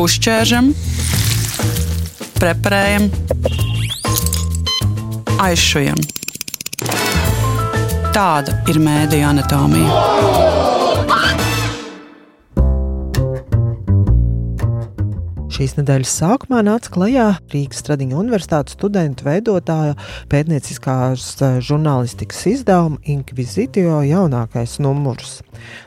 Uzķēršam, preparējam, aizšujam. Tāda ir mēdīju anatomija. Šīs nedēļas sākumā nāca klajā Rīgas Stradiņu universitātes studentu veidotāja pētnieciskās žurnālistikas izdevuma Inquisitio jaunākais numurs.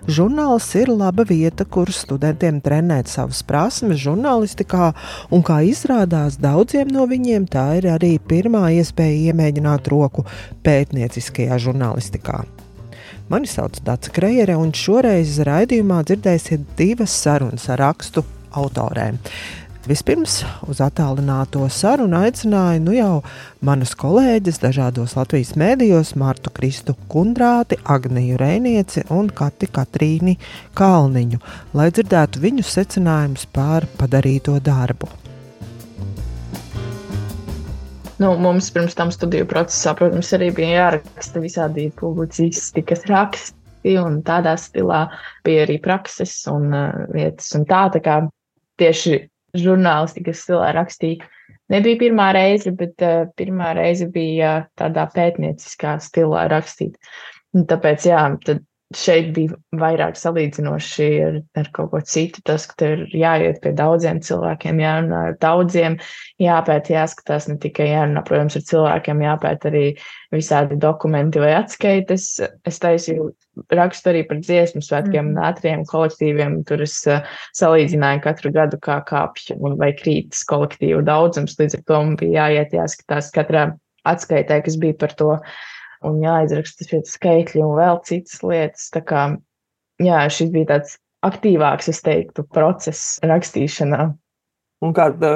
Žurnāls ir laba vieta, kur studentiem trenēt savas prasmes žurnālistikā, un, kā izrādās, daudziem no viņiem tā ir arī pirmā iespēja iemēģināt roku pētnieciskajā žurnālistikā. Mani sauc Dace Krejere, un šoreiz raidījumā dzirdēsiet divas sarunas ar rakstu autorēm. Vispirms uz attālināto sarunu aicināju jau manas kolēģes dažādos Latvijas mēdījos Martu Kristu Kundrāti, Agniju Reinieci un Kati Katrīni Kalniņu, lai dzirdētu viņu secinājumus par padarīto darbu. Mums pirms tam studiju procesā, protams, arī bija jāraksta visādi publicistikas raksti, un tādā stilā bija arī prakses un vietas. Un tā kā tieši žurnālistikas stilā rakstīja. Nebija pirmā reize, bet pirmā reize bija tādā pētnieciskā stilā rakstīt. Un tāpēc, tad šeit bija vairāk salīdzinoši ar kaut ko citu. Tas, ka tev ir jāiet pie daudziem cilvēkiem, jārunā ar daudziem, jāpēt, jāskatās ne tikai jārunā, protams, ar cilvēkiem, jāpēt arī visādi dokumenti vai atskaites. Es taisīju rakstu arī par dziesmu svētkiem un ātriem kolektīviem. Tur es salīdzināju katru gadu, kā kāpj vai krītas kolektīvu daudzums. Līdz ar to man bija jāiet, jāskatās katrā atskaitē, kas bija par to. Un jāizraksta šie skaitļi un vēl citas lietas. Tā kā, šis bija tāds aktīvāks, es teiktu, process rakstīšanā. Un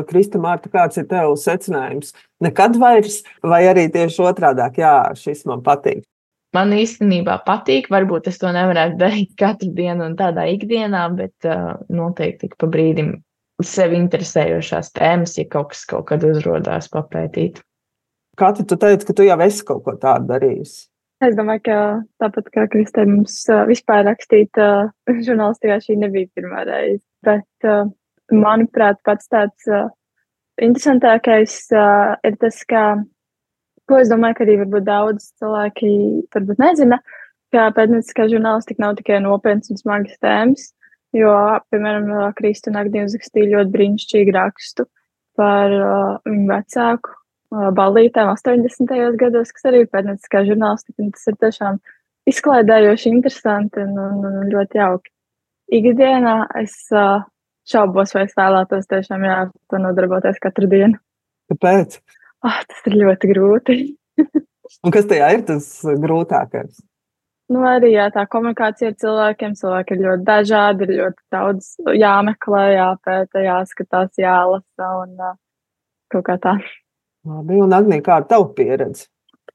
Krista, Marta, kāds ir tev secinājums? Nekad vairs, vai arī tieši otrādāk, šis man patīk? Man īstenībā patīk, varbūt es to nevarētu darīt katru dienu un tādā ikdienā, bet noteikti pa brīdim sevi interesējošās tēmas, ja kaut kas kaut kad uzrodās papētīt. Kati, tu teici, ka tu jau esi kaut ko tādu darījusi? Es domāju, ka tāpat kā Kristē mums vispār rakstīt žurnālistikā šī nebija pirmā reize. Bet, manuprāt, pats tāds interesantākais ir tas, ko es domāju, ka arī varbūt daudz cilvēki varbūt nezina, ka pētnieciskā žurnālistika nav tikai nopietnas un smagas tēmas, jo, piemēram, Krista un Agnija uzrakstīja ļoti brīnišķīgu rakstu par viņu vecāku ballītēm 80. gados, kas arī ir pētnieciskā žurnālistika, un tas ir tiešām izklaidējoši, interesanti un ļoti jauki. Ikdienā es šaubos, vai es vēlētos tiešām to nodarboties katru dienu. Kāpēc? Tas ir ļoti grūti. Un kas tajā ir tas grūtākais? Arī tā komunikācija ar cilvēkiem. Cilvēki ir ļoti dažādi, ir ļoti daudz jāmeklē, jāpēta, jāskatās, jālasa un kaut kā tā. Labi, un Agnija, kā tava pieredze?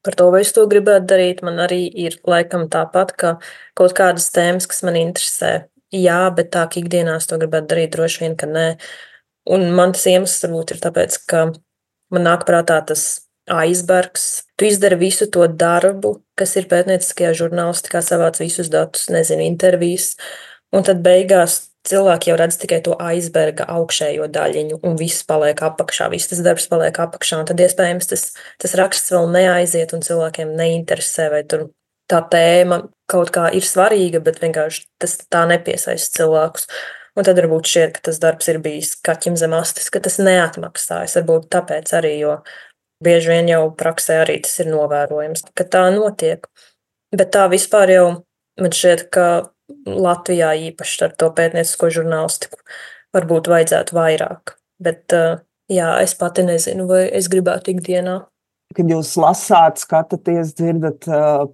Par to, vai es to gribētu darīt, man arī ir laikam tāpat, ka kaut kādas tēmas, kas man interesē. Jā, bet tā, ka ikdienā es to gribētu darīt, droši vien, ka nē. Un man tas iemesls varbūt ir tāpēc, ka man nāk prātā tas aizbergs. Tu izdari visu to darbu, kas ir pētnieciskajā žurnālistikā, savāc visus datus, intervijas, un tad beigās cilvēki jau redz tikai to aizberga augšējo daļiņu, un viss paliek apakšā, viss tas darbs paliek apakšā, un tad iespējams tas raksts vēl neaiziet, un cilvēkiem neinteresē, vai tur tā tēma kaut kā ir svarīga, bet vienkārši tas tā nepiesaista cilvēkus. Un tad varbūt šķiet, ka tas darbs ir bijis kaķim zem astes, ka tas neatmaksājas, varbūt tāpēc arī, jo bieži vien jau praksē arī tas ir novērojams, ka tā notiek. Bet tā vispār jau man šķiet, ka Latvijā īpaši ar to pētniecisko žurnālistiku varbūt vajadzētu vairāk. Bet es pati nezinu, vai es gribētu ikdienā. Kad jūs lasāt, skatāties, dzirdat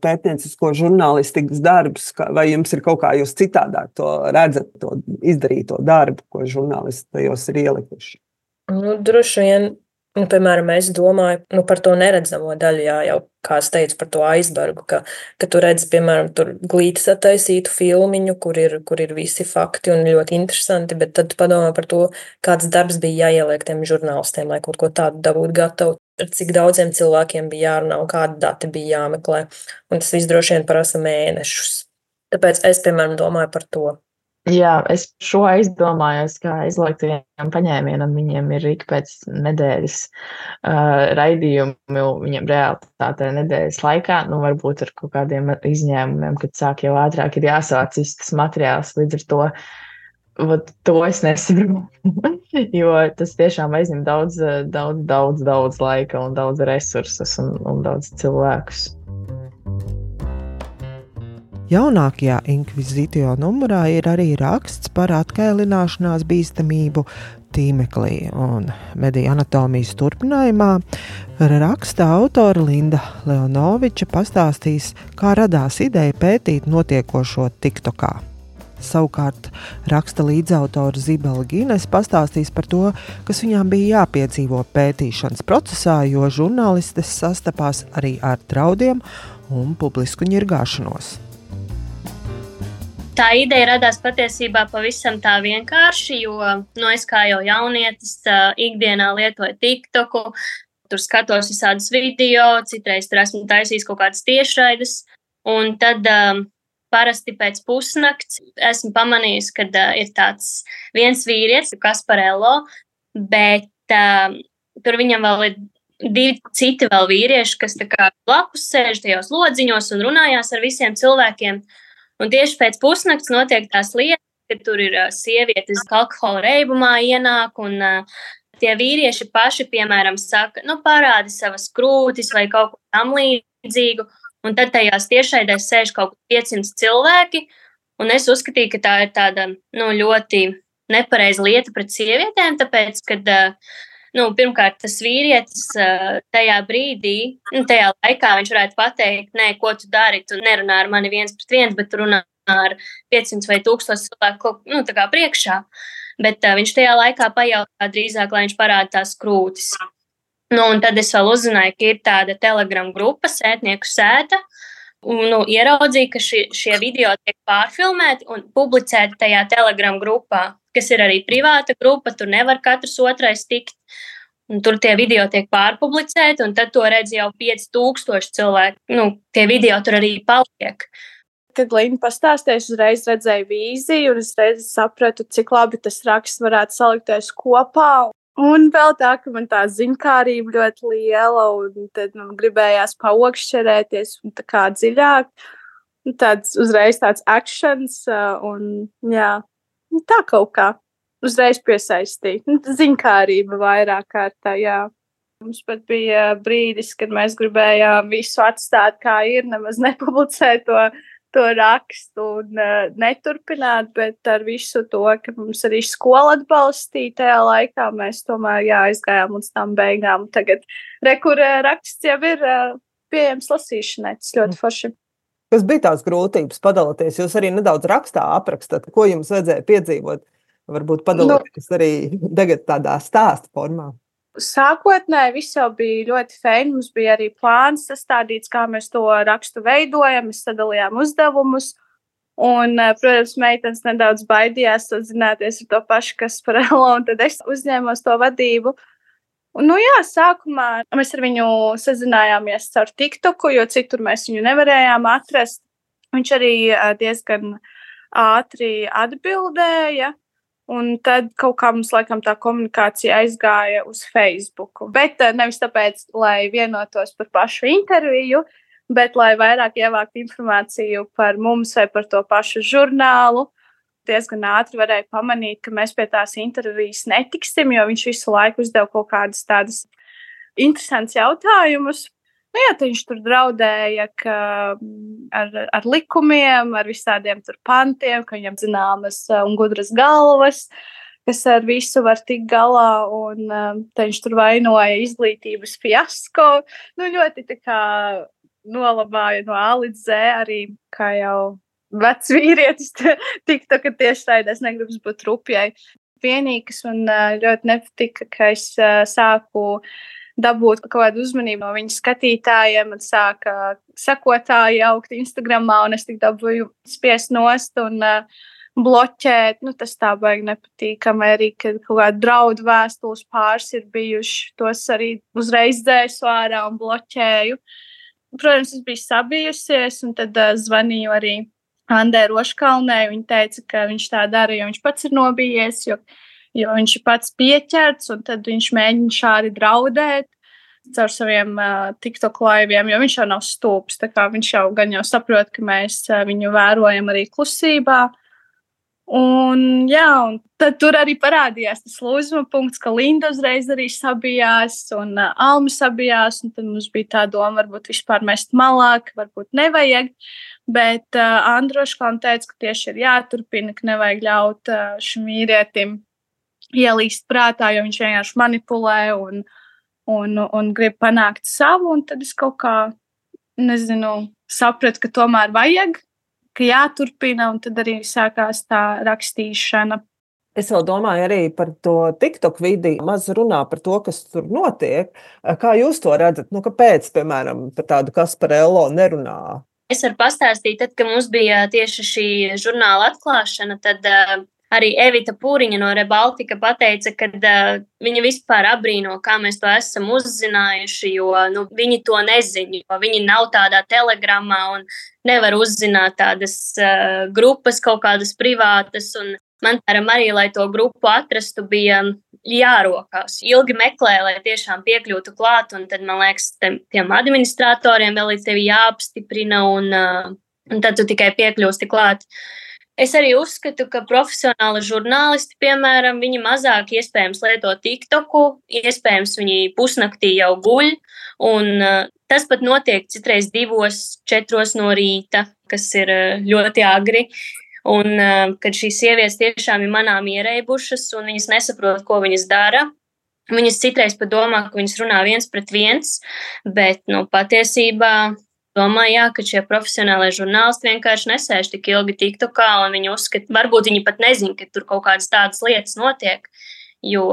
pētniecisko žurnālistikas darbus, vai jums ir kaut kā jūs citādāk to redzat, to izdarīto darbu, ko žurnālisti tajos ir ielikuši? Droši vien, piemēram, es domāju par to neredzamo daļu, jau kā es teicu par to aizbergu, ka tu redzi, piemēram, tur glītis attaisītu filmiņu, kur ir visi fakti un ļoti interesanti, bet tad tu padomā par to, kāds darbs bija jāieliek tiem žurnālistiem, lai kaut ko tādu dabūt gatavu, ar cik daudziem cilvēkiem bija jārunā un kādi dati bija jāmeklē. Un tas viss droši vien prasa mēnešus. Tāpēc es, piemēram, domāju par to. Jā, es šo aizdomājos, kā izlaiktajiem paņēmienam viņiem ir ik pēc nedēļas raidījumi, viņiem realitātē nedēļas laikā, varbūt ar kaut kādiem izņēmumiem, kad sāk jau ātrāk ir jāsāc tas materiāls, līdz ar to es nesaprotu, jo tas tiešām aizņem daudz laika un daudz resursus un daudz cilvēkus. Jaunākajā Inkvizitio numurā ir arī raksts par atkailināšanās bīstamību tīmeklī, un mediju anatomijas turpinājumā raksta autora Linda Leonoviča pastāstīs, kā radās ideja pētīt notiekošo TikTokā. Savukārt raksta līdzautora Zibela Gines pastāstīs par to, kas viņām bija jāpiedzīvo pētīšanas procesā, jo žurnālistes sastapās arī ar draudiem un publisku ņirgāšanos. Tā ideja radās patiesībā pavisam tā vienkārši, jo es kā jau jaunietis ikdienā lietoju TikToku, tur skatos visādus video, citreiz tur esmu taisījis kaut kādas tiešraides, un tad parasti pēc pusnakts esmu pamanījusi, ka ir tāds viens vīrietis, Kasparello, bet tur viņam vēl ir 2 citi vēl vīrieši, kas tā kā blakus sēž tajos lodziņos un runājās ar visiem cilvēkiem. Un tieši pēc pusnakts notiek tās lietas, ka tur ir sievietes alkohola reibumā ienāk, un tie vīrieši paši, piemēram, saka, parādi savas krūtis vai kaut ko tam līdzīgu, un tad tajās tiešraidēs sēž kaut 500 cilvēki, un es uzskatīju, ka tā ir tāda, ļoti nepareiza lieta pret sievietēm, tāpēc, kad pirmkārt, tas vīrietis tajā brīdī, tajā laikā viņš varētu pateikt, nē, ko tu dari, tu nerunā ar mani 1-1, bet tu runā ar 500 vai 1000 cilvēku, tā kā priekšā. Bet viņš tajā laikā pajautā drīzāk, lai viņš parāda tās krūtis. Un tad es vēl uzzināju, ka ir tāda Telegram grupa, Sētnieku sēta, un ieraudzīju, ka šie video tiek pārfilmēti un publicēti tajā Telegram grupā, kas ir arī privāta grupa, tur nevar katrs otrais tikt. Un tur tie video tiek pārpublicēti, un tad to redz jau 5000 cilvēku. Tie video tur arī paliek. Kad Linda pastāstīja, uzreiz redzēju vīziju, un es reiz sapratu, cik labi tas raksts varētu salikties kopā. Un vēl tā, ka man tā ziņkārība ļoti liela, un tad man gribējās paokšķerēties un tā kā dziļāk. Uzreiz tāds actions, un jā. Tā kaut kā uzreiz piesaistīja. Ziņkārība vairāk kārtā, jā. Mums pat bija brīdis, kad mēs gribējām visu atstāt kā ir, nemaz nepublicēt to rakstu un neturpināt, bet ar visu to, ka mums arī skola atbalstīja tajā laikā, mēs tomēr aizgājām līdz tām beigām. Tagad raksts jau ir pieejams lasīšanai, tas ļoti forši. Kas bija tās grūtības padalīties? Jūs arī nedaudz rakstā aprakstat, ko jums vajadzēja piedzīvot. Varbūt padalīties arī tagad tādā stāsta formā. Sākotnēji viss jau bija ļoti feini. Mums bija arī plāns sastādīts, kā mēs to rakstu veidojam. Mēs sadalījām uzdevumus. Un, protams, meitenes nedaudz baidījās sazināties ar to pašu Kasparello, un tad es uzņēmos to vadību. Un, sākumā mēs ar viņu sazinājāmies caur TikToku, jo citur mēs viņu nevarējām atrast. Viņš arī diezgan ātri atbildēja, un tad kaut kā mums laikam tā komunikācija aizgāja uz Facebook. Bet nevis tāpēc, lai vienotos par pašu interviju, bet lai vairāk ievāktu informāciju par mums vai par to pašu žurnālu. Diezgan ātri varēja pamanīt, ka mēs pie tās intervijas netiksim, jo viņš visu laiku uzdeva kaut kādas tādas interesantas jautājumus. Tad viņš tur draudēja ar likumiem, ar visādiem tur pantiem, ka viņam zināmas un gudras galvas, kas ar visu var tikt galā, un tad viņš tur vainoja izglītības fiasko. Ļoti tā kā nolabāja no A līdz Z arī, kā jau vecs vīrietis TikToka tiešraidēs, negribas būt rupjai. Vienīgi, kas man ļoti nepatika, ka es sāku dabūt kaut kādu uzmanību no viņa skatītājiem, un sāka sekotāji augt Instagramā, un es tik dabūju spiest nost un bloķēt. Tas tā baigi nepatīkami, arī, kad kaut kādu draudu vēstules pāris ir bijuši, tos arī uzreiz dzēsu ārā un bloķēju. Protams, es biju sabijusies, un tad zvanīju arī Andai Roškalnei. Viņa teica, ka viņš tā dara, jo viņš pats ir nobijies, jo viņš ir pats pieķerts, un tad viņš mēģina šādi draudēt caur saviem TikTok laiviem, jo viņš jau nav stulbs. Tā kā viņš jau gan jau saprot, ka mēs viņu vērojam arī klusībā. Un tad tur arī parādījās tas lūzuma punkts, ka Linda uzreiz arī sabijās un Alma sabijās, un tad mums bija tā doma, varbūt vispār mest malā, ka varbūt nevajag, bet Andra Roškalne teica, ka tieši ir jāturpina, ka nevajag ļaut šim vīrietim ielīst prātā, jo viņš vienkārši manipulē un grib panākt savu, un tad es kaut kā, sapratu, ka tomēr vajag, ka jāturpina, un tad arī sākās tā rakstīšana. Es vēl domāju arī par to TikTok vidi, maz runā par to, kas tur notiek. Kā jūs to redzat? Kāpēc, piemēram, par tādu Kasparello nerunā? Es varu pastāstīt, tad, kad mums bija tieši šī žurnāla atklāšana, tad arī Evita Pūriņa no Rebaltika pateica, ka viņa vispār abrīno, kā mēs to esam uzzinājuši, jo viņi to nezina, jo viņi nav tādā telegramā un nevar uzzināt tādas grupas, kaut kādas privātas. Un man arī, lai to grupu atrastu, bija jārokās. Ilgi meklēja, lai tiešām piekļūtu klāt, un tad, man liekas, tiem administratoriem vēl ir tevi jāapstiprina, un tad tu tikai piekļūsti klāt. Es arī uzskatu, ka profesionāli žurnālisti, piemēram, viņi mazāk iespējams lieto TikToku, iespējams viņi pusnaktī jau guļ, un tas pat notiek citreiz 2-4 no rīta, kas ir ļoti agri, un kad šīs sievietes tiešām ir manām ierēbušas, un viņas nesaprot, ko viņas dara. Viņas citreiz pat domā, ka viņas runā 1-1, bet patiesībā domāju, ka šie profesionālie žurnālisti vienkārši nesēž tik ilgi TikTokā, un viņi uzskata, varbūt viņi pat nezina, ka tur kaut kādas tādas lietas notiek, jo,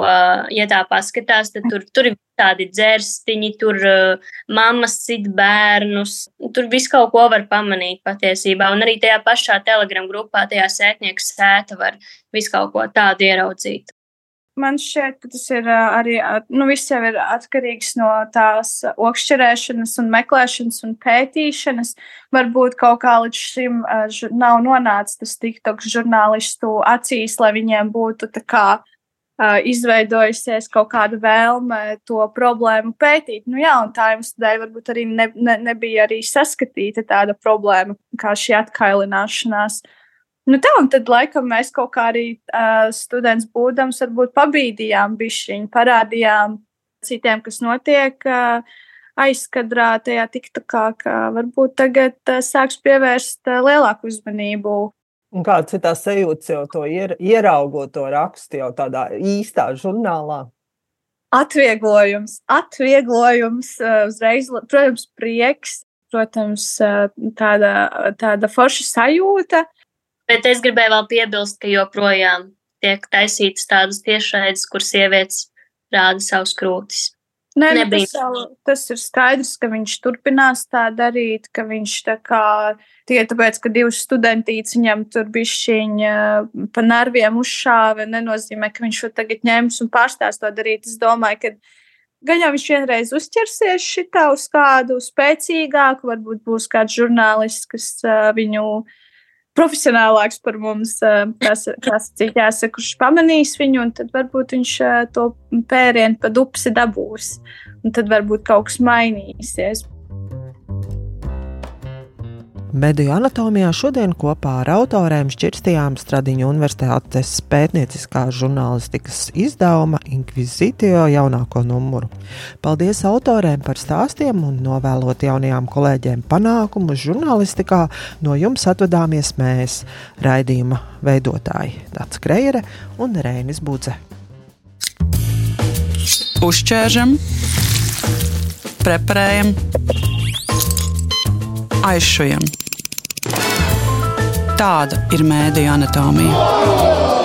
ja tā paskatās, tad tur ir tādi dzērstiņi, tur mammas sit bērnus, tur visu kaut ko var pamanīt patiesībā, un arī tajā pašā Telegram grupā, tajā sētnieku sēta var visu kaut ko tādu ieraudzīt. Man šķiet, ka tas ir arī, viss jau ir atkarīgs no tās okšķerēšanas un meklēšanas un pētīšanas. Varbūt kaut kā līdz šim nav nonācis tas TikTok žurnālistu acīs, lai viņiem būtu tā kā izveidojusies kaut kāda vēlme to problēmu pētīt. Un tā jums dēļ varbūt arī nebija arī saskatīta tāda problēma, kā šī atkailināšanās. Un tad laikam mēs kaut kā arī students būdams varbūt pabīdījām bišķiņu, parādījām citiem, kas notiek aizkadrā tajā TikTokā, ka varbūt tagad sāks pievērst lielāku uzmanību. Un kāds ir tā sajūta jau to ieraugot to rakstu jau tādā īstā žurnālā? Atvieglojums, uzreiz, protams, prieks, protams, tāda forša sajūta. Bet es gribēju vēl piebilst, ka joprojām tiek taisītas tādas tiešraides, kur sievietes rāda savus krūtis. Tas ir skaidrs, ka viņš turpinās tā darīt, ka viņš tikai tāpēc, ka 2 studentītes viņam tur bišķiņa pa nerviem uzšāva, nenozīmē, ka viņš to tagad ņems un pārstās to darīt. Es domāju, ka gan jau viņš vienreiz uzķersies šitā uz kādu spēcīgāku, varbūt būs kāds žurnālists, kas viņu profesionālāks par mums, kurš pamanīs viņu, un tad varbūt viņš to pērienu pa dupsi dabūs, un tad varbūt kaut kas mainīsies. Mediju anatomijā šodien kopā ar autorēm šķirstījām Stradiņu Universitātes pētnieciskās žurnālistikas izdevuma Inkvizitio jaunāko numuru. Paldies autorēm par stāstiem un novēlot jaunajām kolēģiem panākumus žurnālistikā. No jums atvadāmies mēs, raidījuma veidotāji Dats Krejere un Reinis Budze. Uzķēršam, preparējam, aizšujam. Tāda ir mēdiju anatomija.